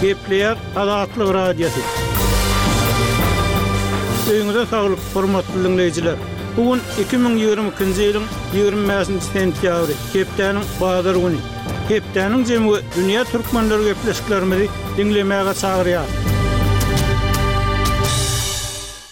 Gepleýär Azatlyk Radiosy. Öýüňize saglyk, hormatly diňleýjiler! Bu gün 2022-nji ýylyň 25-nji sentýabry, hepdäniň bazar güni. Hepdäniň jemi we dünýä türkmenleri gepleşiklerimizi diňlemäge çagyrýar.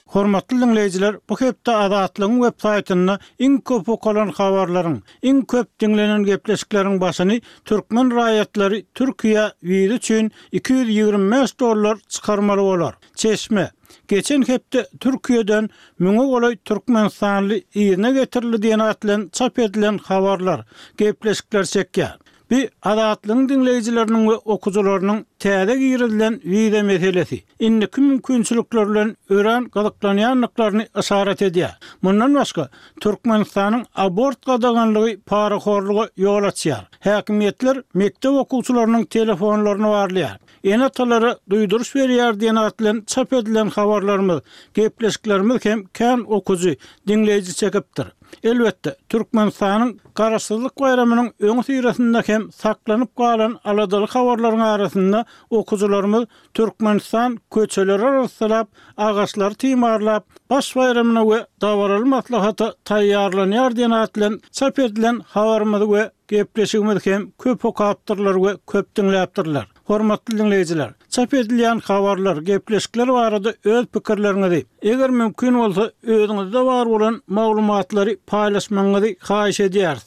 Hormatly diňleýjiler, bu hepde Azatlygyň web saýtynda iň köp okalan habarlaryň, iň köp diňlenen gepleşikleriň başyny türkmen raýatlary Türkiýä wiza üçin 225 dollar çykarmaly bolar. Çeşme, Geçen hepde Türkiýeden müňe golaý türkmenistanly yzyna getirildi diýen at bilen çap edilen habarlar, gepleşikler çekýär. Bu Azatlygyň diňleýjileriniň we okyjylarynyň täze girizilen wiza meselesi, indiki mümkinçilikler bilen örän gyzyklanýandyklaryny yşarat edýär. Mundan başga, Türkmenistanyň abort gadaganlygy parahorluga ýol açýar. Häkimiýetler mekdep okuwçylarynyň telefonlaryny barlaýar. Ene-atalara duýduryş berýär diýen at bilen çap edilen habarlarymyz, gepleşiklerimiz hem kän okyjy, diňleýji çekipdir. Elbetde, Türkmenistanyň Garaşsyzlyk baýramynyň öňüsyrasynda hem saklanyp galan aladaly habarlaryň arasynda okyjylarymyz Türkmenistan köçeleri arassalap, agaçlary timarlap, Baş baýramyna we dabaraly maslahata taýýarlanýar diýen at bilen çap edilen habarymyzy we gepleşigimizi hem köp okapdyrlar we köp diňläpdirler. Hormatly diňleýjiler, çap edilýän habarlar, gepleşikler barada öz pikirleriňizi, eger mümkin bolsa, özüňizde bar bolan maglumatlary paýlaşmagyňyzy haýyş edýäris.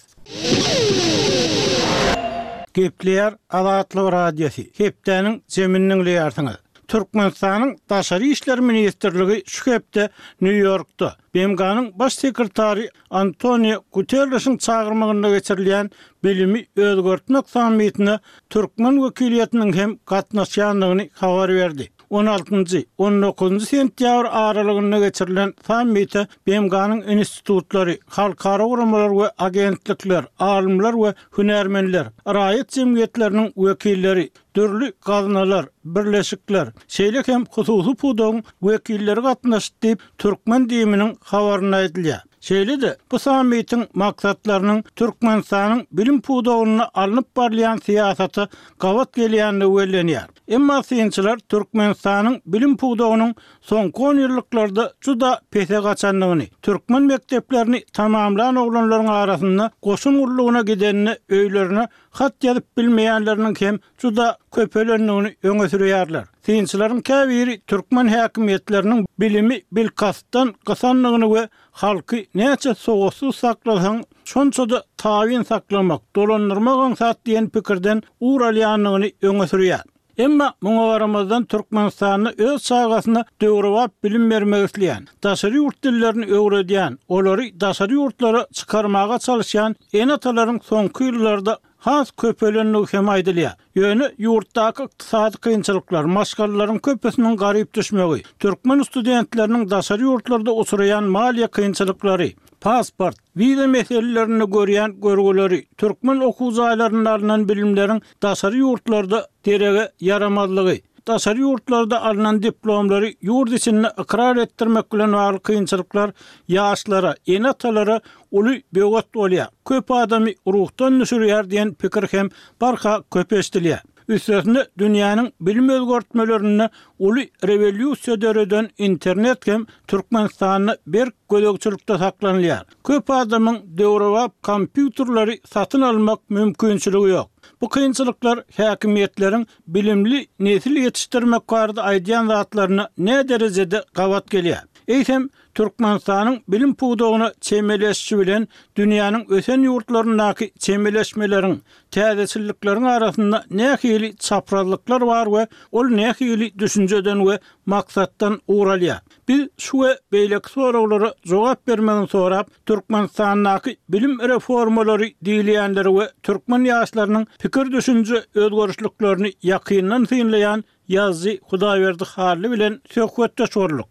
Gepleýär Azatlyk Radiosy, hepdäniň jemini diňleýärsiňiz. Türkmenistanyň Daşary işler ministrligi şu hepde Nýu-Ýorkda, BMG-niň Baş sekretary Antonio Guterrişiň çagyrmagynda geçirilýän Bilimi özgertmek sammitine türkmen wekiliýetiniň hem gatnaşýandygyny habar berdi. On altynjy, on dokuzynjy sentýabr aralygynda geçirilen sammite BMG-niň institutlary, halkara guramalar we agentlikler, alymlar we hünärmenler, raýat jemgyýetleriniň wekilleri, dürli gaznalar, birleşikler, şeýle hem hususy pudagyň wekilleri gatnaşdy diýip, türkmen DIM-niň habarynda aýdylýar. Şeýle-de, bu sammitiň maksatlarynyň Türkmenistanyň bilim pudagynda alnyp barylýan syýasata gabat gelýändigi bellenýär. Emma synçylar Türkmenistanyň bilim pudagynyň soňky onýyllyklarda juda pese gaçandygyny, türkmen mekdeplerini tamamlan oglanlaryň arasynda goşun gullugyna gidenine öýlerine hat ýazyp bilmeýänleriniň hem juda köpelendigini öňe sürýärler. Synçylaryň käbiri türkmen häkimiýetleriniň bilimi bilkastdan gysandygyny we halky näçe sowatsyz saklasaň, şonça-da tabyn saklamak, dolandyrmak aňsat diýen pikirden ugur alýandygyny öňe sürýär. Emma muňa garamazdan Türkmenistanda öz çagasyna döwrebap bilim bermek isleýän, daşary ýurt dillerini öwredýän, olary daşary ýurtlara çykarmaga çalyşýan ene-atalaryň soňky ýyllarda has köpelendigi hem aýdylýar. Ýöne ýurtdaky ykdysady kynçylyklar, maşgalalaryň köpüsiniň garyp düşmegi, türkmen studentleriniň daşary ýurtlarda uçraýan maliýe kynçylyklary, pasport, wiza meselelerinde görýän görgüleri, türkmen okuw jaýlarynda alnan bilimleriň daşary ýurtlarda derege ýaramazlygy, daşary ýurtlarda alnan diplomlary ýurt içinde ykrar etdirmek bilen bagly kynçylyklar ýaşlara, ene-atalara uly böwet bolýar, köp adamy ruhdan düşürýär diýen pikir hem barha köp eşidilýär. Üstesine dünýäniň bilim özgertmelerinde uly rewolýusiýa döreden internet hem Türkmenistanda berk gözegçilikde saklanylýar. Köp adamyň döwrebap kompýuterleri satyn almak mümkinçiligi ýok. Bu kynçylyklar häkimiýetleriň bilimli nesil ýetişdirmek barada aýdýan zatlaryna näderejede gabat gelýär? Eýsem, Türkmenistanyň bilim pudagyna çemeleşişi bilen dünýäniň ösen ýurtlaryndaky çemeleşmeleriň, täzeçillikleriň arasynda nähili çaprazlyklar bar we ol nähili düşünjeden we maksatdan ugur alýar? Biz şu we beýleki soraglara jogap bermegini sorap, Türkmenistandaky bilim reformalary diýilýänleri we türkmen ýaşlarynyň pikir-düşünje özgerişliklerini ýakyndan synlaýan ýazyjy Hudaýberdi Hally bilen söhbetdeş bolduk.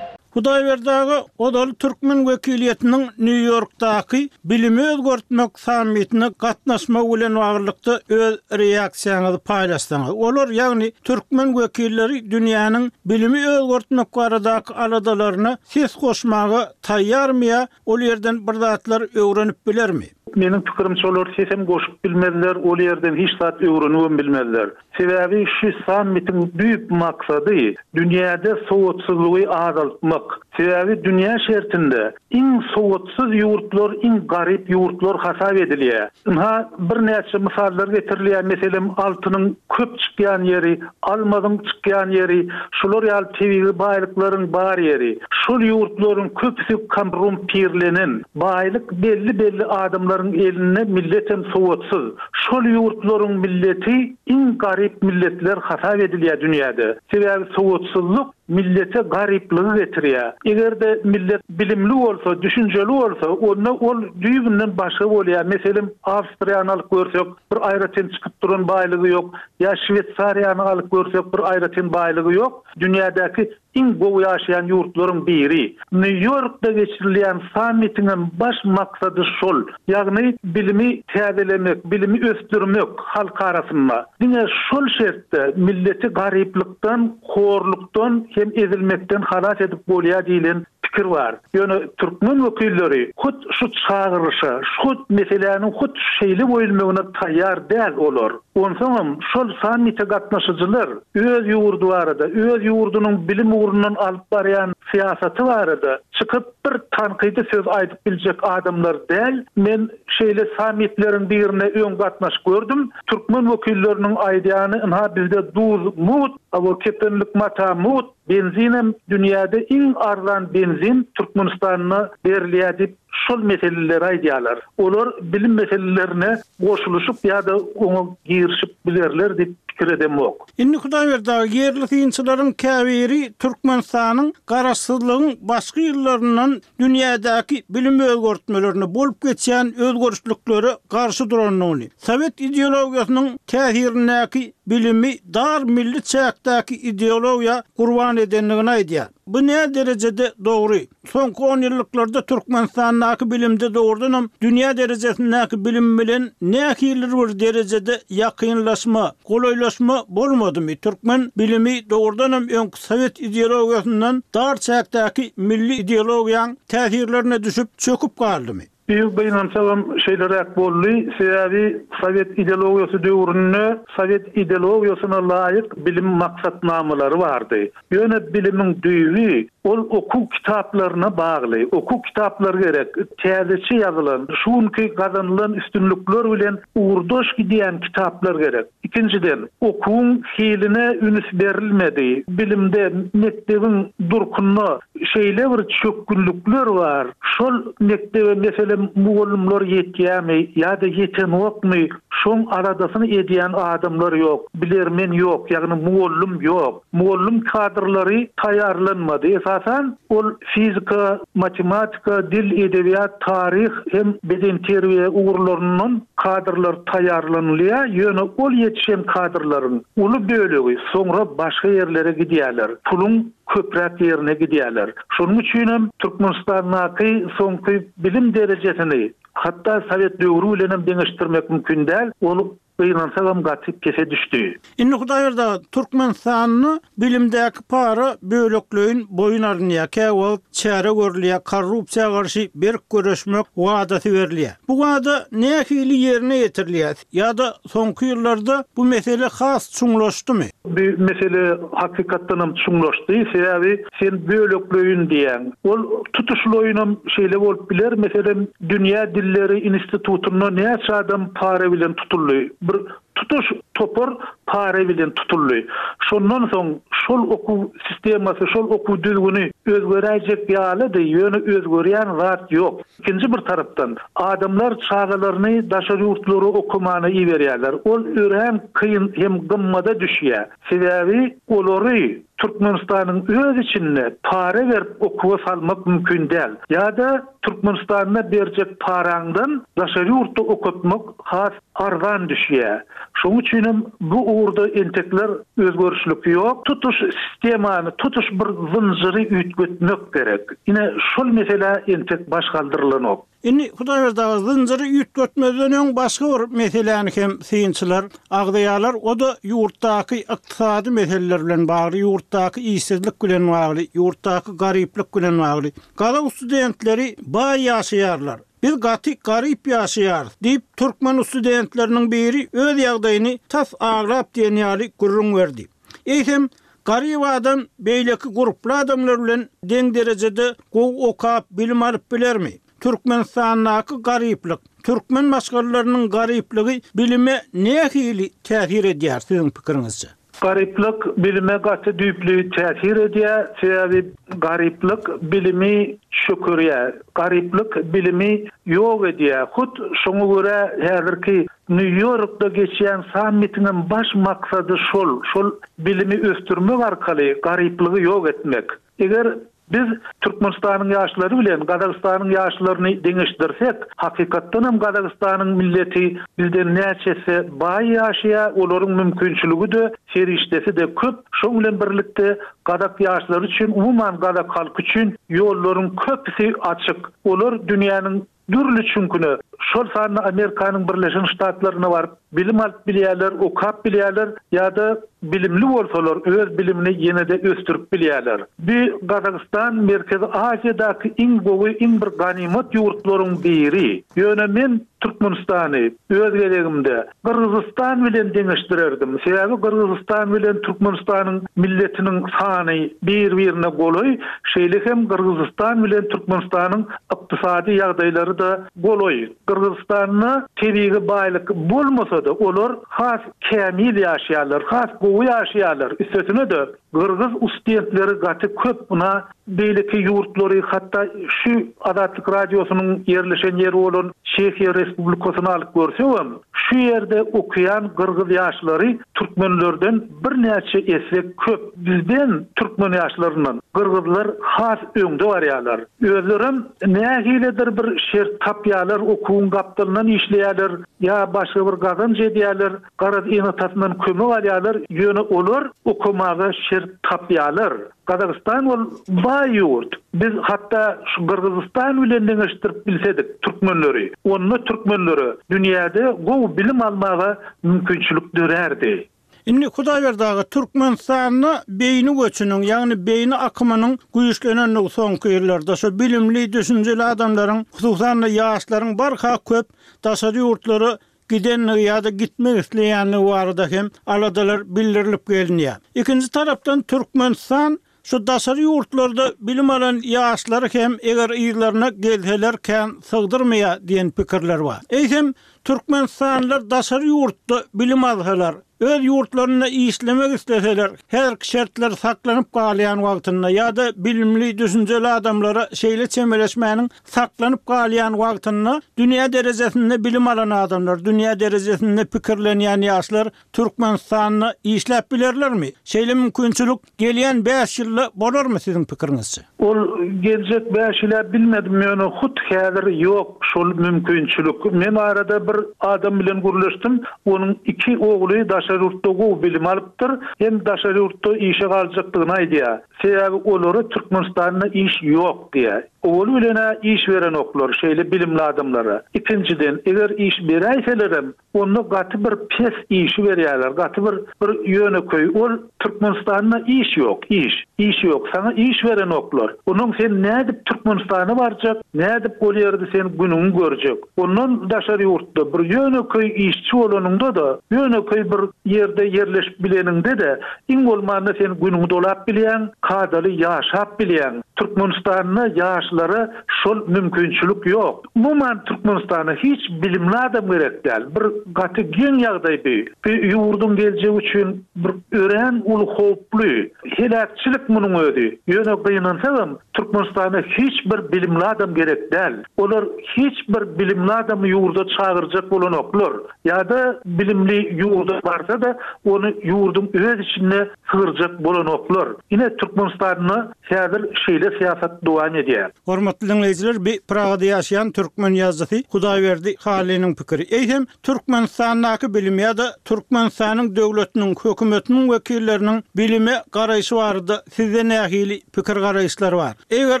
Hudaýberdi aga ozal türkmen wekiliýetiniň Nýu-Ýorkdaky bilimi özgertmek sammitine gatnaşmagy bilen baglylykda öz reaksiýaňyzy paýlaşsaňyz. Olar, ýagny türkmen wekilleri dünýäniň bilimi özgertmek baradaky aladalaryna ses goşmaga taýýarmy ýa ol ýerden bir zatlar öwrenip bilermi? Meniň pikirimçe olar sesem goşup bilmezler, ol ýerden hiç zat öwrenibem bilmezler. Sebäbi şu sammitiň düýp maksady dünýäde sowatsyzlygy azaltmak. Sebäbi dünýä şertinde iň sowatsyz ýurtlar iň garyp ýurtlar hasap edilýär. Ynha, birnäçe mysallar getirilýär, meselem, altynyň köp çykýan ýeri, almazyň çykýan ýeri, şular ýaly tebigy baýlyklaryň bar ýeri. Şol ýurtlaryň köpüsi korrumpirlenen, baýlyk belli-belli adamlaryň elinde, milletem sowatsyz. Şol ýurtlaryň milleti iň garyp milletler hasap edilýär dünýäde. Sebäbi sowatsyzlyk millete garyplygy getirýär. Eger-de millet bilimli bolsa, düşünjeli bolsa, onda ol düýbünden başga bolýar. Meselem, Awstriýany alyp görsek, bir aýratyn çykyp duran baýlygy ýok. Ýa Şweýsariýany alyp görsek, bir aýratyn baýlygy ýok. Dünýädäki iň gowy ýaşaýan ýurtlaryň biri. Nýu-Ýorkda geçirilýän sammitiňem baş maksady şol. Ýagny bilimi täzelemek, bilimi ösdürmek halk arasynda. Diňe şol şertde milleti garyplykdan, horlukdan hem ezilmekden halas edip bolýar diýlen pikir bar. Ýöne türkmen wekilleri hut şu çagyryşa, hut meseläniň hut şeýle goýulmagyna taýýar däl olar. Onsoňam şol sammite gatnaşyjylar öz ýurdy barada, öz ýurdunyň bilim ugrundan alyp barýan syýasaty barada çykyp bir tankydy söz aýdyp biljek adamlar däl. Men şeýle sammitleriň birine öň gatnaşyp gördüm. Türkmen wekilleriniň aýdýany ynha bizde duz mugt, hawa kepenlik mata mugt, Benzinem dünýäde iň arzan benzin Türkmenistanda berilýär diýip şol meseleleri aýdýarlar. Olar bilim meselelerine goşulyşyp ýa-da oňa girişip bilerler diýip pikir edemok. Indi Hudaýberdi aga, ýerli synçylaryň käbiri Türkmenistanyň garaşsyzlygyň başky ýyllaryndan dünýädäki bilim özgertmelerine, bolup geçýän özgerişliklere garşy durandygyny, sowet ideologiýasynyň täsirindäki bilimi dar milli çäkdäki ideologiýa gurban edendigini aýdýar. Bu näderejede dogry? Soňky onýyllyklarda Türkmenistandaky bilimde dogrudanam dünýä derejesindäki bilim bilen nähilidir bir derejede ýakynlaşma, golaýlaşma bolmadymy? Türkmen bilimi dogrudanam öňki sowet ideologiýasyndan dar çäkdäki milli ideologiýaň täsirlerine düşüp, çöküp galdymy? Biz gynansagam şeýleräk boldy, sebäbi sowet ideologiýasy döwründe sowet ideologiýasyna laýyk bilim maksatnamalary bardy. Ýöne bilimiň düýbi ol okuw kitaplaryna bagly. Okuw kitaplary gerek, täzeçe ýazylan, şu günki gazanylan üstünlikler bilen ugurdaş gidýän kitaplar gerek. Ikinjiden, okuwyň hiline üns berilmedi. Bilimde, mekdebiň durkunda şeýle bir çökgünlikler bar. Şol mekdebe, meselem, mugallymlar ýetýärmi ýa-da ýetenokmy, şoň aladasyny edýän adamlar ýok, bilermen ýok, ýagny mugallym ýok. Mugallym kadrlary taýýarlanmady. Esasan, ol fizika, matematika, dil, edebiýat, taryh hem bedenterbiýe ugurlaryndan kadrlar taýýarlanylýar, ýöne ol ýetişen kadrlaryň uly bölegi soňra başga ýerlere gidýärler, puluň köpräk ýerine gidýärler. Şonuň üçinem Türkmenistandaky soňky bilim derejesini hatda sowet döwri bilenem deňeşdirmek mümkin däl, ol Gynansagam gaty pese düşdi. Indi Hudaýberdi aga, Türkmenistanda bilimdäki para bölekleýin boýun alynýar, käwagt çäre görülýär, korrupsiýa garşy berk göreşmek wadasy berilýär. Bu wada nähili ýerine ýetirilýär ýa-da soňky ýyllarda bu mesele has çuňlaşdymy? Bu mesele hakykatdanam çuňlaşdy, sebäbi sen bölekleýin diýýäň. Ol tutuşlaýynam şeýle bolup biler, meselem, Dünýä dilleri institutynda näçe adam para bilen tutuldy? Bir tutuş topar para bilen tutuldy. Şondan soň şol okuw sistemasy, şol okuw düzgüni özgeräýjek ýalydy, ýöne özgerýän zat ýok. Ikinji bir tarapdan, adamlar çagalaryny daşary ýurtlara okamana iberýärler. Ol örän kyn hem gymmada düşýär. Sebäbi olary Türkmenistanyň öz içinde para berip okuwa salmak mümkin däl. Ýa-da Türkmenistanda berjek paraňdan daşary ýurtda okatmak has arzan düşýär. Şonuň üçinem bu ugurda entekler özgerişlik ýok. Tutuş sistemany, tutuş bir zynjyry üýtgetmek gerek. Ine, şol meselä entek baş galdyrylanok. Indi, Hudaýberdi aga, zynjyry üýtgetmezden öň başga bir meseläni hem synçylar agzaýarlar, o-da ýurtdaky ykdysady meseleler bilen bagly, ýurtdaky işsizlik bilen bagly, ýurtdaky garyplyk bilen bagly. Gazak studentleri baý ýaşaýarlar. Biz gaty garyp ýaşaýarys, diýip, türkmen studentleriniň biri öz ýagdaýyny tas aglap diýen ýaly gürrüň berdi. Eýsem, garyp adam beýleki gurply adamlar bilen deň derejede gowy okap, bilim alyp bilermi? Türkmenistandaky garyplyk, türkmen maşgalalarynyň garyplygy bilime nähili täsir edýär, siziň pikiriňizçe? Garyplyk bilime gaty düýpli täsir edýär, sebäbi garyplyk bilimi çökerýär, garyplyk bilimi ýok edýär. Hut şoňa görä häzirki Nýu-Ýorkda geçýän sammitiňem baş maksady şol, şol bilimi ösdürmek arkaly garyplygy ýok etmek. Eger biz Türkmenistanyň ýaşlary bilen Gazagystanyň ýaşlaryny deňeşdirsek, hakykatdanam Gazagystanyň milleti bizden näçe esse baý ýaşaýar, olaryň mümkinçiligi-de, serişdesi-de köp, şoň bilen birlikde gazak ýaşlary üçin, umuman gazak halky üçin ýollaryň köpüsi açyk. Olar dünýäniň Dürli çüňküne, şol sanda Amerikanyň Birleşen Ştatlaryna baryp bilim alyp bilýärler, okap bilýärler ýa-da bilimli bolsalar öz bilimini ýene-de ösdürip bilýärler. Bu Gazagystan Merkezi Aziýadaky iň gowy, iň bir ganymat ýurtlaryň biri. Ýöne men Türkmenistany öz gezegimde Gyrgyzystan bilen deňeşdirerdim. Sebäbi Gyrgyzystan bilen Türkmenistanyň milletiniň sany bir-birine golaý, şeýle hem Gyrgyzystan bilen Türkmenistanyň ykdysady ýagdaýlary-da golaý. Gyrgyzystanda tebigy baýlyk bolmasa-da, olar has kämil ýaşaýarlar, has gowy ýaşaýarlar. Üstesine-de, Gyrgyz ustdentleri gaty köp ynha beýleki ýurtlary hatda şu Azatlyk Radiosynyň ýerleşen ýeri bolan Çehiýa Respublikasyny alyp görsegem şu ýerde okaýan gyrgyz ýaşlary türkmenlerden birnäçe esse köp bizden türkmen ýaşlaryndan gyrgyzlar has öňde barýarlar özlerem nähilidir bir şert tapýarlar okuwyň gapdalyndan işleýärler ýa başga bir gazanç edýärler Garaz, ene-atasyndan kömek alýarlar, ýöne olar okamaga şert tapýarlar. Gazagystan ol baý ýurt. Biz hatda şu Gyrgyzystan bilen deňeşdirip bilsedik türkmenleri, onda türkmenlere dünýäde gowy bilim almaga mümkinçilik dörärdi. Indi Hudaýberdi aga, Türkmenistanda beýni göçüniň, ýagny beýni akymynyň güýçlenendigi soňky ýyllarda, şo bilimli, düşünjeli adamlaryň, hususan-da ýaşlaryň barha köp daşary ýurtlara gidendigi ýa-da gitmek isleýändigi barada hem aladalar bildirilip gelinýär. Ikinji tarapdan Türkmenistan şu daşary ýurtlarda bilim alan ýaşlary hem eger yzlaryna gelseler kän sygdyrmaýar diýen pikirler bar. Eýsem türkmenistanlylar daşary ýurtda bilim alsalar, öz ýurtlarynda işlemek isleseler, häzirki şertler saklanyp galýan wagtynda ýa-da bilimli, düşünjeli adamlara şeýle çemeleşmäniň saklanyp galýan wagtynda dünýä derejesinde bilim alan adamlar, dünýä derejesinde pikirlenýän ýaşlar Türkmenistanda işläp bilerlermi? Şeýle mümkinçilik gelýän bäş ýylda bolarmy siziň pikiriňizçe? Ol geljek bäş ýyla bilmedim, ýöne hut häzir ýok şol mümkinçilik. Men arada bir adam bilen gürleşdim, onuň iki ogly daşary ýurtda gowy bilim alypdyr, hem daşary ýurtda işe galjakdygyny aýdýar. Sebäbi olara Türkmenistanda iş ýok diýýär. Owaly bilen-ä iş berenoklar şeýle bilimli adamlara. Ikinjiden, eger iş beräýselerem, onda gaty bir pes işi berýärler, gaty bir bir ýönekeý. Ol Türkmenistanda iş ýok, iş. Iş ýok, saňa iş berenoklar. Onnoň sen nädip Türkmenistana barjak, nädip ol ýerde sen günüňi görjek? Ondan daşary ýurtda bir ýönekeý işçi bolanyňda-da, ýönekeý bir ýerde ýerleşip bileniňde-de, iň bolmanda sen günüňi dolap bilýäň, kadaly ýaşap bilýäň. Türkmenistanda ýaşlara şol mümkinçilik ýok. Umuman Türkmenistana hiç bilimli adam gerek däl. Bir gaty geň ýagdaý bu. Bu ýurduň geljegi üçin bir örän uly howply, heläkçilik munuň özi. Ýöne gynansagam Türkmenistana hiç bir bilimli adam gerek däl. Olar hiç bir bilimli adamy ýurda çagyrjak bolanoklar. Ýa-da bilimli ýurda barsa-da, ony ýurduň öz içinde sygyrjak bolanoklar. Ine Türkmenistanda häzir şeýle syýasat dowam edýär. Hormatly diňleýjiler, bi Pragada ýaşaýan türkmen ýazyjysy Hudaýberdi Hallynyň pikiri. Eýsem, Türkmenistandaky bilim ýa-da Türkmenistanyň döwletiniň, hökümetiniň wekilleriniň bilime garaýşy barada sizde nähili pikir-garaýyşlar bar? Eger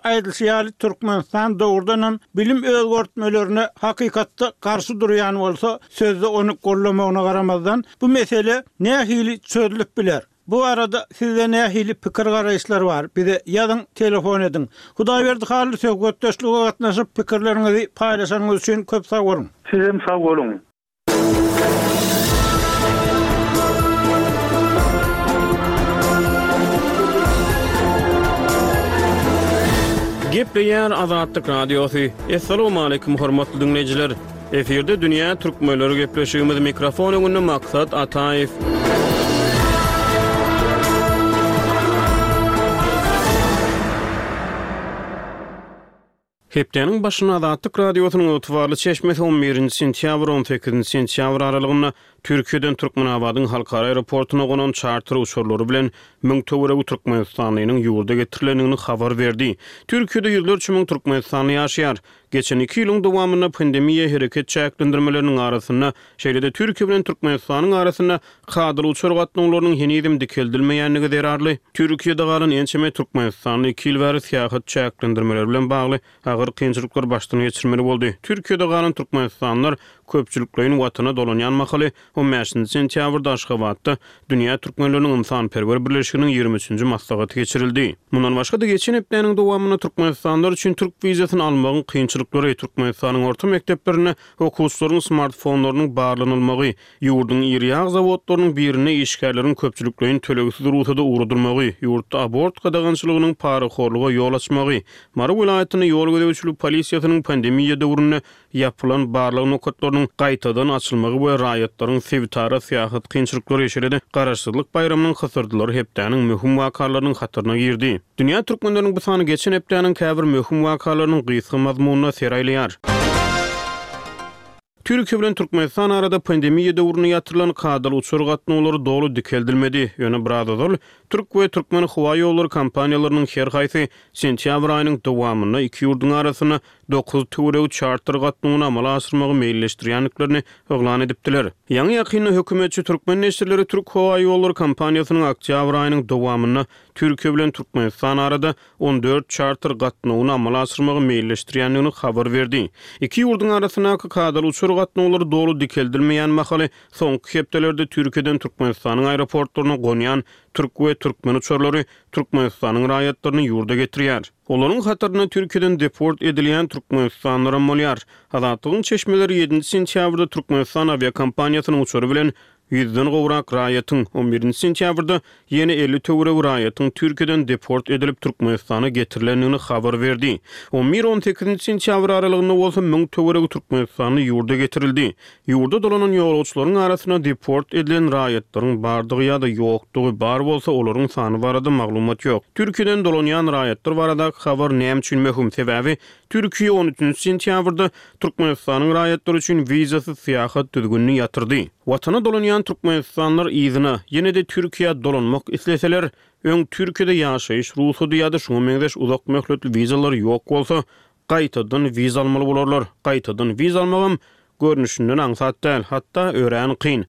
aýdylyşy ýaly Türkmenistan dogrudanam bilim özgertmelerine hakykatda garşy durýan bolsa, sözde ony goldamagyna garamazdan, bu mesele nähili çözlüp biler? Bu barada sizde nähili pikir-garaýyşlar bar? Bize ýazyň, telefon ediň. Hudaýberdi Hally söhbetdeşlige gatnaşyp pikirleriňizi paýlaşanyňyz üçin köp sag boluň. Sizem sag boluň. Gepleýär Azatlyk Radiosy. Assalamualaikum hormatly diňleýjiler. Efirde dünýä türkmenleri gepleşigimiz mikrofon öňünde Maksat Ataýew. Hepdäniň başynda Azatlyk Radiosynyň ygtybarly çeşmesi on birinji sentýabr, on sekizinji sentýabr aralygynda Türkiýeden Türkmenabadyň halkara aeroportuna gonan çarter uçarlary bilen müň töweregi türkmenistanlynyň ýurda getirilendigini habar berdi. Türkiýede ýüzlerçe müň türkmenistanly ýaşaýar. Geçen iki ýylyň dowamynda pandemiýa hereket çäklendirmeleriniň arasynda, şeýle-de Türkiýe bilen Türkmenistanyň arasynda kadaly uçar gatnawlarynyň henizem dikeldilmeýändigi zerarly, Türkiýede galan ençeme türkmenistanly iki ýyl bäri syýahat çäklendirmeleri bilen bagly agyr kynçylyklary başdan geçirmeli boldy. Türkiýede galan türkmenistanlylar köpçülikleýin watana dolanýan mahaly, On bäşinji sentýabrda Aşgabatda Dünýä türkmenleriniň ynsanperwer birleşiginiň ýigrimi üçünji maslahaty geçirildi. Mundan başga-da, geçen hepdäniň dowamynda türkmenistanlylar üçin türk wizasyny almagyň kynçylyklary, Türkmenistanyň orta mekdeplerinde okuwçylaryň smartfonlarynyň barlanylmagy, ýurduň iri ýag zawodlarynyň birinde işgärleriň köpçülikleýin tölegsiz rugsada ugradylmagy, ýurtda abort gadagançylygynyň parahorluga ýol açmagy, Mary welaýatynda ýol gözegçilik polisiýasynyň pandemiýa döwründe ýapylan barlag nokatlarynyň gaýtadan açylmagy we raýatlaryň sebitara syýahat kynçylyklary, şeýle-de Garaşsyzlyk baýramynyň hysyrdylary hepdäniň möhüm wakalarynyň hataryna girdi. Dünýä türkmenleriniň bu sany geçen hepdäniň käbir möhüm wakalarynyň gysga mazmunyna ser aýlaýar. Türkiýe bilen Türkmenistan arada pandemiýa döwründe ýatyrylan kadaly uçar gatnawlary doly dikeldilmedi. Ýöne biraz ozal Türk we Türkmen howa ýollary kompaniýalarynyň her haýsy sentýabr aýynyň dowamynda iki ýurduň arasynda dokuz töweregi çarter gatnawyny amala aşyrmagy meýilleşdirýändiklerini yglan edipdiler. Ýaňy-ýakynda hökümetçi türkmen neşirleri Türk howa ýollary kompaniýasynyň oktýabr aýynyň dowamynda Türkiýe bilen Türkmenistan arada 14 çarter gatnawyny amala aşyrmagy meýilleşdirýändigini habar berdi. Iki ýurduň arasyndaky kadaly uçar gatnawlary doly dikeldilmeýän mahaly soňky hepdelerde Türkiýeden Türkmenistanyň aeroportlaryna gonýan türk we türkmen uçarlary Türkmenistanyň raýatlaryny ýurda getirýär. Olaryň hatarynda Türkiýeden deport edilýän türkmenistanlylaram bolýar. Azatlygyň çeşmeleri ýedinji sentýabrda Türkmenistan awiakompaniýasynyň uçary bilen ýüzden gowrak raýatyň, on birinji sentýabrda ýene 50 töweregi raýatyň Türkiýeden deport edilip Türkmenistana getirilendigini habar berdi. On bir-on sekizinji sentýabr aralygynda bolsa müň töweregi türkmenistanly ýurda getirildi. Ýurda dolanan ýolagçylaryň arasynda deport edilen raýatlaryň bardygy ýa-da ýokdugy, bar bolsa olaryň sany barada maglumat ýok. Türkiýeden dolanýan raýatlar baradaky habar näme üçin möhüm? Sebäbi Türkiýe on üçünji sentýabrda Türkmenistanyň raýatlary üçin wizasyz syýahat düzgünini ýatyrdy. Watana dolanýan türkmenistanlylar yzyna, ýene-de Türkiýä dolanmak isleseler, öň Türkiýede ýaşaýyş rugsady ýa-da şuňa meňzeş uzak möhletli wizalary ýok bolsa, gaýtadan wiza almaly bolarlar. Gaýtadan wiza almagam görnüşinden aňsat däl, hatda örän kyn.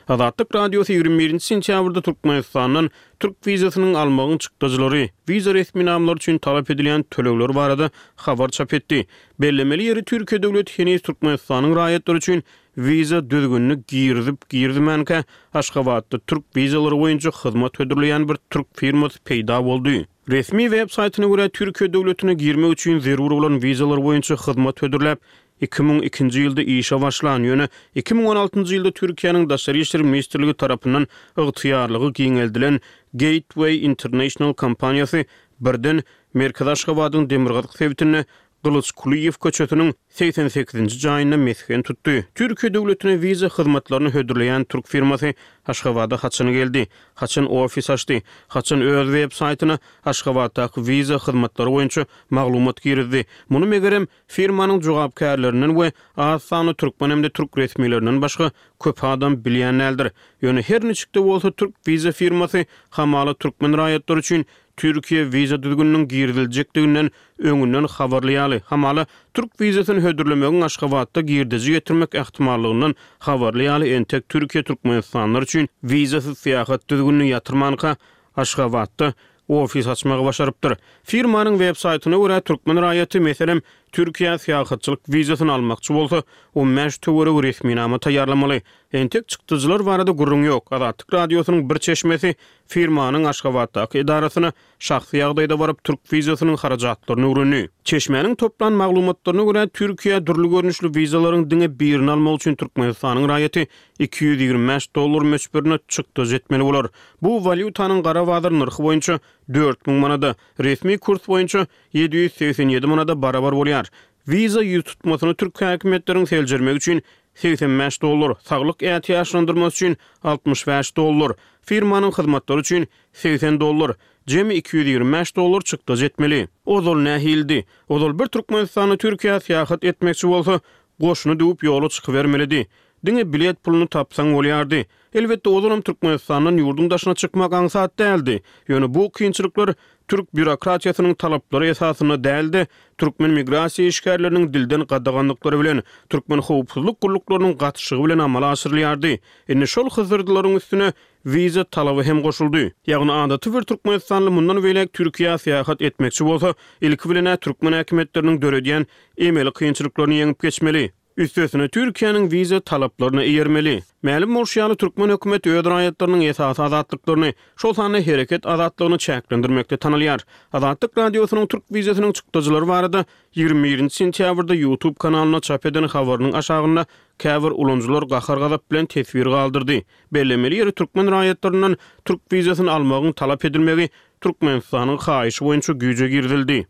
Azatlyk Radiosy 21 nji sentýabrda Türkmenistandan türk wizasynyň almagyň çykdajylary, wiza resminamalary üçin talap edilýän tölegler barada habar çap etdi. Bellemeli ýeri, Türkiýe döwleti heniz Türkmenistanyň raýatlary üçin wiza düzgünini girizip-girizmänkä, Aşgabatda türk wizalary boýunça hyzmat hödürleýän bir türk firmasy peýda boldy. Resmi web saýtyna görä, Türkiýe döwletine girmek üçin zerur bolan wizalar boýunça hyzmat hödürläp, 2002-nji ýylda işe başlan, ýöne 2016-njy ýylda Türkiýäniň Daşary işler ministrligi tarapyndan ygtyýarlygy giňeldilen Gateway International kompaniýasy birden merkezi Aşgabadyň demirgazyk sebitinde Gylyç Kulyýew köçesiniň 88-nji jaýynda mesgen tutdy. Türkiýe döwletine wiza hyzmatlaryny hödürleýän türk firmasy Aşgabada haçan geldi? Haçan ofis açdy? Haçan öz web saýtyna Aşgabatdaky wiza hyzmatlary boýunça maglumat girizdi? Muny megerem, firmanyň jogapkärlerinden we az sanly türkmen hem-de türk resmilerinden başga köp adam bilýän däldir. Ýöne her niçik-de bolsa türk wiza firmasy hamala türkmen raýatlary üçin Türkiýe wiza düzgüniniň giriziljekdiginden öňünden habarly ýaly, hamala, türk wizasyny hödürlemegiň Aşgabatda girdeji getirmek ähtimallygyndan habarly ýaly entek Türkiýe türkmenistanlylar üçin wizasyz syýahat düzgünini ýatyrmanka Aşgabatda ofis açmagy başarypdyr. Firmanyň web saýtyna görä, türkmen raýaty, meselem, Türkiýä syýahatçylyk wizasyny almakçy bolsa, 15 töweregi resminama taýýarlamaly. Entek çykdajylar barada gürrüň ýok. Azatlyk Radiosynyň bir çeşmesi firmanyň Aşgabatdaky edarasyna şahsy ýagdaýda baryp, türk wizasynyň harajatlaryny öwrendi. Çeşmäniň toplan maglumatlaryna görä, Türkiýä dürli görnüşli wizalaryň diňe birini almak üçin Türkmenistanyň raýaty 225 dollar möçberinde çykdajy etmeli bolar. Bu walýutanyň gara bazar nyrhy boýunça 4000 manada, resmi kurs boýunça 787 manada barabar bolýar. Wiza ýüztutmasyny türk häkimiýetleriň seljermegi üçin 85 dollar, saglyk ätiýaçlandyrmasy üçin 65 dollar, firmanyň hyzmatlary üçin 80 dollar, jemi 225 dollar çykdajy etmeli. Ozal nähilidi? Ozal bir türkmenistanly Türkiýä syýahat etmekçi bolsa, goşuny düwüp ýola çykybermelidi. Diňe bilet puluny tapsaň bolýardy. Elbetde, ozalam Türkmenistandan ýurduň daşyna çykmak aňsat däldi. Ýöne bu kynçylyklar türk býurokratiýasynyň talaplary esasynda däl-de, türkmen migrasiýa işgärleriniň dilden gadaganlyklary bilen, türkmen howpsuzlyk gulluklarynyň gatyşygy bilen amala aşyrylýardy. Indi şol hysyrdylaryň üstüne wiza talaby hem goşuldy. Ýagny adaty bir türkmenistanly mundan beýläk Türkiýä syýahat etmekçi bolsa, ilki bilen-ä türkmen häkimiýetleriniň döredýän emeli kynçylyklaryny ýeňip geçmeli. Üstesine Türkiýäniň wiza talaplaryna eýermeli. Mälim bolşy ýaly, türkmen hökümeti öz raýatlarynyň esasy azatlyklaryny, şol sanda hereket azatlygyny çäklendirmekde tanalýar. Azatlyk Radiosynyň türk wizasynyň çykdajylary barada 21 nji sentýabrda YouTube kanalynda çap eden habarynyň aşagynda käbir ulanyjylar gahar-gazap bilen teswir galdyrdy. Bellemeli ýeri, türkmen raýatlaryndan türk wizasyny almagyň talap edilmegi Türkmenistanyň haýyşy boýunça güýje girizildi.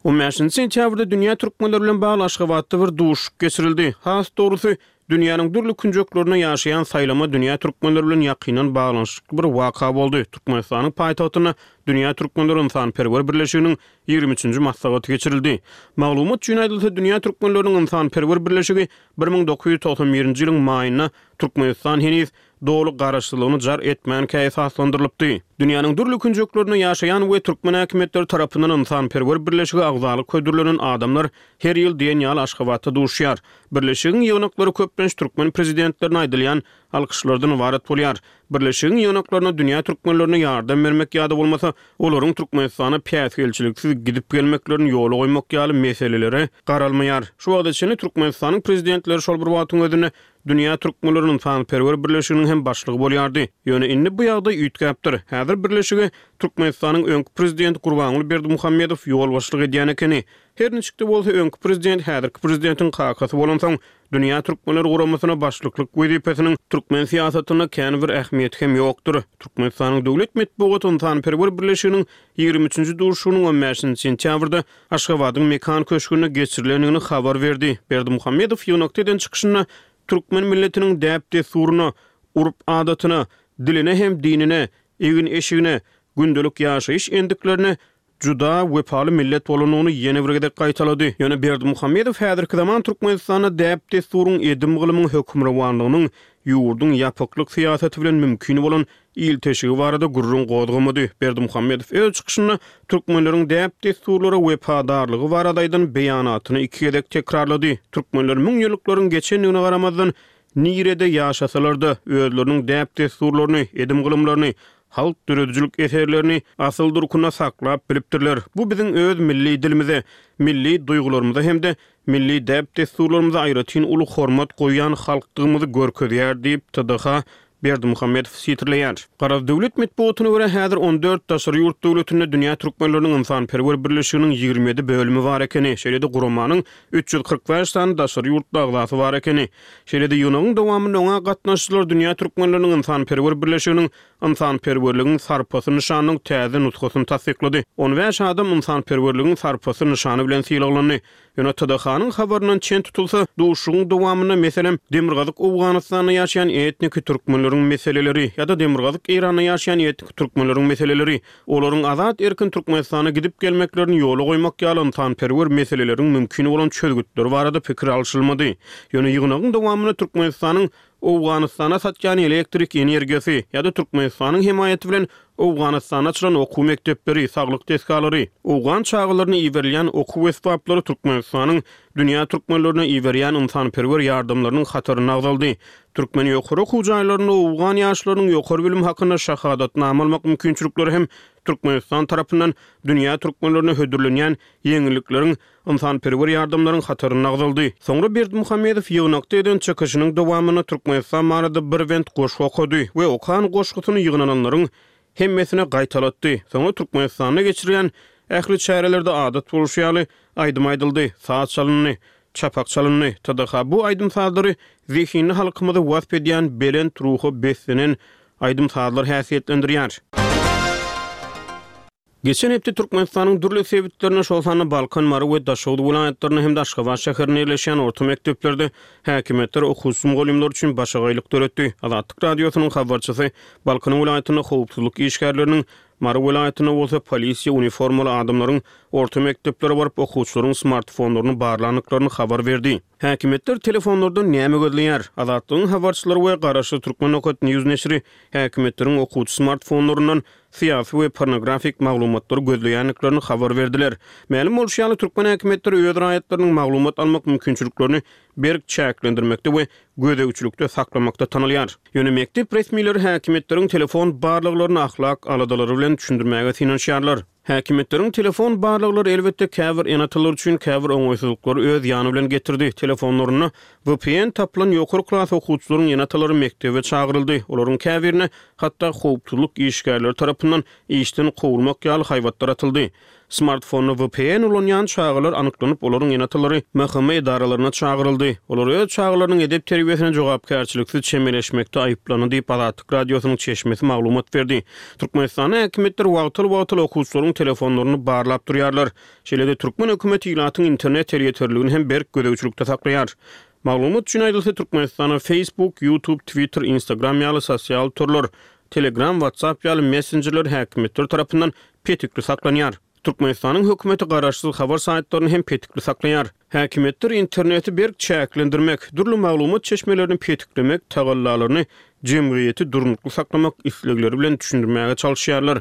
On bäşinji sentýabrda dünýä türkmenleri bilen bagly Aşgabatda bir duşuşyk geçirildi. Has dogrusy, dünýäniň dürli künjeklerinde ýaşaýan saýlama dünýä türkmenleri bilen ýakyndan baglanyşykly bir waka boldy. Türkmenistanyň paýtagtynda Dünýä türkmenleri ynsanperwer birleşiginiň ýigrimi üçünji maslahaty geçirildi. Maglumat üçin aýdylsa, Dünýä türkmenleriniň ynsanperwer birleşigi 1991-nji ýylyň maýynda Türkmenistan heniz doly garaşsyzlygyny jar etmänkä esaslandyrylypdy. Dünýäniň dürli künjeklerinde ýaşaýan we türkmen häkimiýetleri tarapyndan ynsanperwer birleşige agzalyk hödürlenen adamlar her ýyl diýen ýaly Aşgabatda duşýar. Birleşigiň ýygnaklary köplenç türkmen prezidentlerine aýdylýan alkyşlardan ybarat bolýar. Birleşigiň ýygnaklaryna dünýä türkmenlerine ýardam bermek ýa-da bolmasa olaryň Türkmenistana päsgelçiliksiz gidip-gelmeklerini ýola goýmak ýaly meselelere garalmaýar. Şu wagta çenli Türkmenistanyň prezidentleri şol bir wagtyň özünde Dünýä Türkmenleri ynsanperwer birleşiginiň hem başlygy bolýardy. Ýöne indi bu ýagdaý üýtgäpdir. Häzir birleşige Türkmenistanyň öňki prezidenti Gurbanguly Berdimuhamedow ýolbaşçylyk edýän ekeni. Her niçik-de bolsa, öňki prezident häzirki prezidentiň kakasy bolansoň, Dünýä Türkmenleri guramasyna başlyklyk wezipesiniň türkmen syýasatynda kän bir ähmiýeti hem ýokdur. Türkmenistanyň döwlet metbugaty ynsanperwer birleşiginiň ýigrimi üçünji duşuşygynyň on bäşinji sentýabrda Aşgabadyň Mekan köşgünde geçirilendigini habar berdi. Berdimuhamedow ýygnakda eden çykyşynda türkmen milletiniň däp-dessuryna, urp-adatyna, diline hem dinine, egin-eşigine, gündelik ýaşaýyş endiklerine juda wepaly millet bolandygyny ýene bir gezek gaýtalady. Ýöne Berdimuhamedow häzirki zaman Türkmenistanda däp-dessuryň, edim-gylymyň hökmürowanlygynyň ýurduň ýapyklyk syýasaty bilen mümkin bolan ilteşigi barada gürrüň gozgamady. Berdimuhamedow öz çykyşynda türkmenleriň däp-dessurlara wepadarlygy barada aýdan beýanatyny iki gezek tekrarlady. Türkmenler müňýyllyklaryň geçendigine garamazdan, nirede ýaşasalar-da, özleriniň däp-dessurlaryny, edim-gylymlaryny, halk döredijilik eserlerini asyl durkunda saklap bilipdirler. Bu biziň öz milli dilimize, milli duýgularymyza hem-de milli däp-dessurlarymyza aýratyn uly hormat goýýan halkdygymyzy görkezýär diýip, TDH Berdimuhamedow sitirleýär. Garaz, döwlet metbugatyna görä, häzir on dört daşary ýurt döwletinde Dünýä türkmenleriniň ynsanperwer birleşiginiň 27 bölümi bar ekeni, şeýle-de guramanyň 345 sany daşary ýurtly agzasy bar ekeni. Şeýle-de ýygnagyň dowamynda oňa gatnaşyjylar Dünýä türkmenleriniň ynsanperwer birleşiginiň Ynsanperwerligiň sarpasy nyşanynyň täze nusgasyny tassyklady. On bäş adam Ynsanperwerligiň sarpasy nyşany bilen sylaglandy. Ýöne TDH-nyň habaryndan çen tutulsa, duşuşygyň dowamynda, meselem, Demirgazyk Owganystanda ýaşaýan etniki türkmenleriň meseleleri ýa-da Demirgazyk Eýranda ýaşaýan etniki türkmenleriň meseleleri, olaryň azat-erkin Türkmenistana gidip-gelmeklerini ýola goýmak ýaly ynsanperwer meseleleriň mümkin bolan çözgütleri barada pikir alşylmady. Ýöne ýygnagyň dowamynda Türkmenistanyň Owganystana satýan elektrik energiýasy ýa-da Türkmenistanyň hemaýaty bilen Owganystanda açylan okuw mekdepleri, saglyk desgalary, owgan çagalaryna iberilýän okuw esbaplary Türkmenistanyň dünýä türkmenlerine iberýän ynsanperwer ýardamlarynyň hatarynda agzaldy. Türkmen ýokary okuw jaýlarynda owgan ýaşlarynyň ýokary bilim hakynda şahadatnama almak mümkinçilikleri hem. Türkmenistan tarapyndan dünýä türkmenlerine hödürlenýän ýeňillikleriň, ynsanperwer ýardamlaryň hatarynda agzaldy. Soňra Berdimuhamedow ýygnakda eden çykyşynyň dowamynda Türkmenistan barada bir bent goşgy okady we okan goşgusyny ýygnananlaryň hemmesine gaýtalatdy. Soňra Türkmenistanda geçirilýän ähli çärelerde adat bolşy ýaly, aýdym aýdyldy, saz çalyndy, çapak çalyndy. TDH bu aýdym-sazlary zehinli halkymyzy wasp edýän belent ruha beslenen aýdym-sazlar häsiýetlendirýär. Geçen hepde Türkmenistanyň dürli sebitlerinde, şol sanda Balkan, Mary we Daşoguz welaýatlarynda hem-de Aşgabat şäherinde ýerleşýän orta mekdeplerde häkimiýetler okuwçy-mugallymlar üçin başagaýlyk döretdi. Azatlyk Radiosynyň habarçysy Balkan welaýatynda howpsuzlyk işgärleriniň, Mary welaýatynda bolsa polisiýa uniformaly adamlaryň orta mekdeplere baryp, okuwçylaryň smartfonlaryny barlandyklaryny habar berdi. Häkimiýetler telefonlardan näme gözleýär? Azatlygyň habarçylary we garaşsyz Turkmen nokat news neşiri häkimiýetleriň okuwçy smartfonlaryndan syýasy we pornografik maglumatlary gözleýändiklerini habar berdiler. Mälim bolşy ýaly, türkmen häkimiýetleri öz raýatlarynyň maglumat almak mümkinçiliklerini berk çäklendirmekde we gözegçilikde saklamakda tanalýar. Ýöne mekdep resmileri häkimiýetleriň telefon barlaglaryny ahlak aladalary bilen düşündirmäge synanyşýarlar. Häkimiýetleriň telefon barlaglary elbetde käbir ene-atalar üçin käbir oňaýsyzlyklary öz ýany bilen getirdi. Telefonlarynda vpn tapylan ýokary klas okuwçylaryň ene-atalary mekdebe çagyryldy, olaryň käbirine hatda howpsuzlyk işgärleri tarapyndan işden kowulmak ýaly haýbatlar atyldy. Smartfonda vpn ulanýan çagalar anyklanyp, olaryň ene-atalary MHM edaralaryna çagyryldy. Olar öz çagalarynyň edep-terbiýesine jogapkärçiliksiz çemeleşmekde aýyplandy diýip, Azatlyk Radiosynyň çeşmesi maglumat berdi. Türkmenistanda häkimiýetler wagtal-wagtal okuwçylaryň telefonlaryny barlap durýarlar. Şeýle-de türkmen hökümeti ilatyň internet elýeterliligini hem berk gözegçilikde saklaýar. Maglumat üçin aýdylsa, Türkmenistanda Facebook, YouTube, Twitter, Instagram ýaly sosial torlar, Telegram, WhatsApp ýaly messenjerler häkimiýetler tarapyndan petikli saklanýar. Türkmenistanyň hökümeti garaşsyz habar saýtlaryny hem petikli saklaýar. Häkimiýetler interneti berk çäklendirmek, dürli maglumat çeşmelerini petiklemek tagallalaryny jemgyýeti durnukly saklamak islegleri bilen düşündirmäge çalyşýarlar.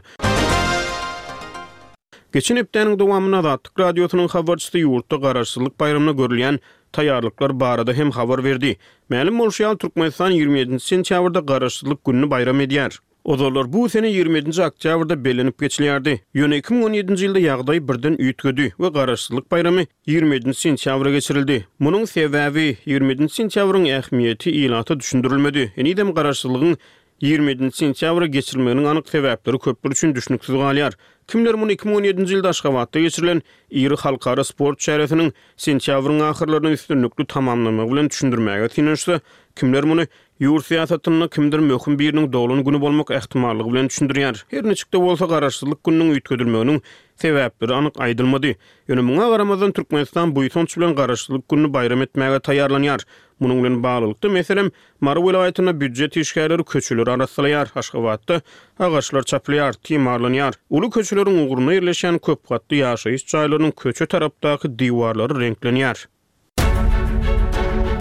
Geçen hepdäniň dowamynda Azatlyk Radiosynyň habarçysy ýurtda Garaşsyzlyk baýramyna görülýän taýýarlyklar barada hem habar berdi. Mälim bolşy ýaly, Türkmenistan 27 nji sentýabrda Garaşsyzlyk gününi bayram edýär. Ozallar bu sene 27 nji oktýabrda bellenip geçilýärdi. Ýöne 2017 nji ýylda ýagdaý birden üýtgedi we Garaşsyzlyk baýramy 27 nji sentýabra geçirildi. Munuň sebäbi, 27 nji sentýabryň ähmiýeti ilata düşündirilmedi. Henizem Garaşsyzlygyň 27 nji sentýabra geçirilmeginiň anyk sebäpleri köpler üçin düşnüksiz galýar. Kimler muny 2017 nji ýylda Aşgabatda geçirilen iri halkara sport çäresiniň sentýabryň ahyrlaryna üstünlikli tamamlanmagy bilen düşündirmäge synanyşsa, kimler muny ýurt syýasatynda kimdir möhüm biriniň doglan güni bolmak ähtimallygy bilen düşündirýär. Her niçik-de bolsa, Garaşsyzlyk gününiň üýtgedilmeginiň sebäpleri anyk aýdylmady. Ýöne muňa garamazdan, Türkmenistan buýsanç bilen Garaşsyzlyk gününi baýram etmäge taýýarlanýar. Munuň bilen baglylykda, meselem, Mary welaýatynda býujet işgärleri köçeleri arassalaýar, Aşgabatda agaçlar çapylýar, timarlanýar. Uly köçeleriň ugrunda ýerleşýän köp gatly ýaşaýyş jaýlarynyň köçe tarapdaky diwarlary reňklenýär.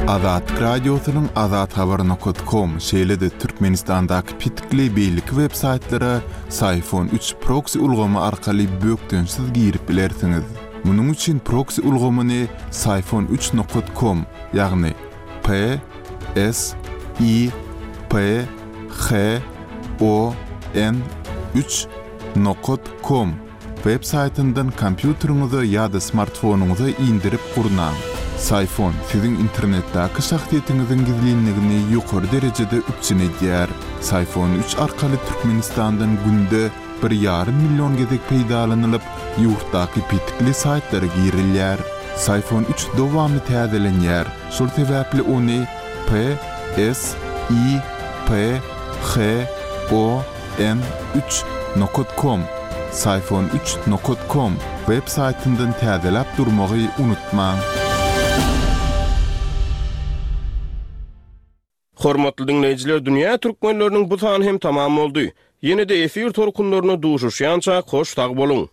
Azatlyk Radiosynyň azathabar nokat kom, şeýle-de Türkmenistandaky petikli beýleki web saýtlara Syfon üç proksi ulgamy arkaly bökdençsiz girip bilersiňiz. Munuň üçin proksi ulgamyny Syfon üç nokat kom, ýagny P S I P H O N üç nokat kom web saýtyndan kompýuteriňize ýa-da smartfonyňyza indirip gurnaň. Syfon siziň internetdäki şahsyýetiňiziň gizlinligini ýokary derejede üpjün edýär. Syfon üç arkaly Türkmenistandan günde bir ýarym million gezek peýdalanylyp, ýurtdaky petikli saýtlara girilýär. Syfon üç dowamly täzelenýär, şol sebäpli ony P S I P H O N üç nokat kom, Syfon üç nokat kom, web saýtyndan täzeläp durmagy unutmaň. Hormatly diňleýjiler Dünýä Türkmenleriniň bu sany hem tamam boldy. Ýene-de efir tolkunlarynda duşuşýançak hoş sag boluň!